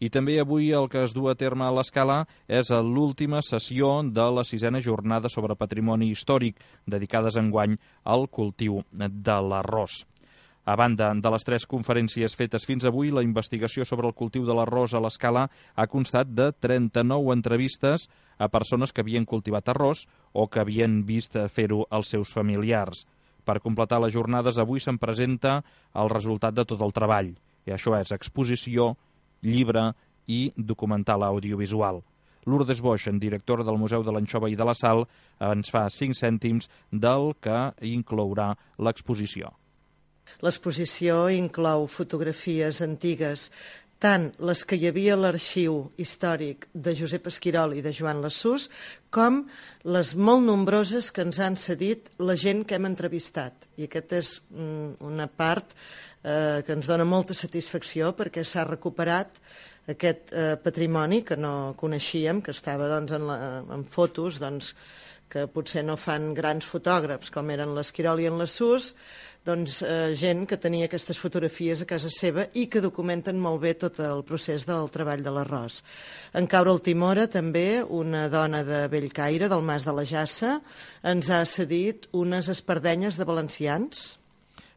I també avui el que es du a terme a l'Escala és l'última sessió de la 6a jornada sobre patrimoni històric, dedicades enguany al cultiu de l'arròs. A banda de les 3 conferències fetes fins avui, la investigació sobre el cultiu de l'arròs a l'Escala ha constat de 39 entrevistes a persones que havien cultivat arròs o que havien vist fer-ho als seus familiars. Per completar les jornades, avui se'n presenta el resultat de tot el treball. I això és exposició, llibre i documental audiovisual. Lourdes Boix, directora del Museu de l'Anxova i de la Sal, ens fa 5 cèntims del que inclourà l'exposició. L'exposició inclou fotografies antigues, tant les que hi havia a l'arxiu històric de Josep Esquirol i de Joan Lassús, com les molt nombroses que ens han cedit la gent que hem entrevistat. I aquesta és una part que ens dona molta satisfacció perquè s'ha recuperat aquest patrimoni que no coneixíem, que estava en fotos que potser no fan grans fotògrafs com eren l'Esquirol i en Lassús, gent que tenia aquestes fotografies a casa seva i que documenten molt bé tot el procés del treball de l'arròs. En Caure el Timora, també, una dona de Bellcaire, del Mas de la Jassa, ens ha cedit unes espardenyes de valencians.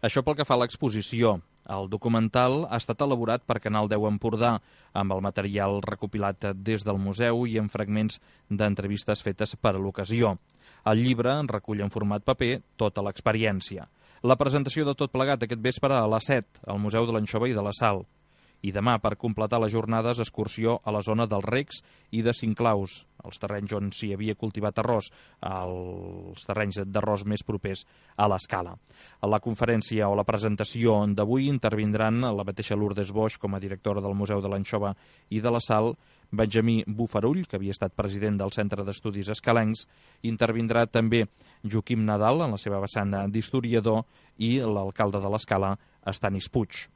Això pel que fa a l'exposició. El documental ha estat elaborat per Canal 10 Empordà, amb el material recopilat des del museu i en fragments d'entrevistes fetes per a l'ocasió. El llibre recull en format paper tota l'experiència. La presentació de tot plegat aquest vespre a les 7 al Museu de l'Anxova i de la Sal. I demà, per completar les jornades, excursió a la zona dels Recs i de Cinclaus, els terrenys on s'hi havia cultivat arròs, els terrenys d'arròs més propers a l'Escala. A la conferència o la presentació d'avui intervindran la mateixa Lourdes Boix com a directora del Museu de l'Anxova i de la Sal, Benjamí Bufarull, que havia estat president del Centre d'Estudis Escalencs, intervindrà també Joaquim Nadal, en la seva vessant d'historiador, i l'alcalde de l'Escala, Estanis Puig.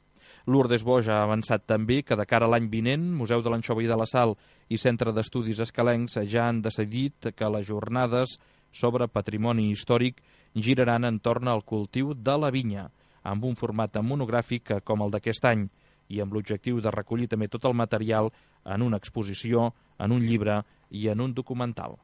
Lourdes Boix ha avançat també que de cara a l'any vinent, Museu de l'Anxova i de la Sal i Centre d'Estudis Escalencs ja han decidit que les jornades sobre patrimoni històric giraran entorn al cultiu de la vinya, amb un format monogràfic com el d'aquest any, i amb l'objectiu de recollir també tot el material en una exposició, en un llibre i en un documental.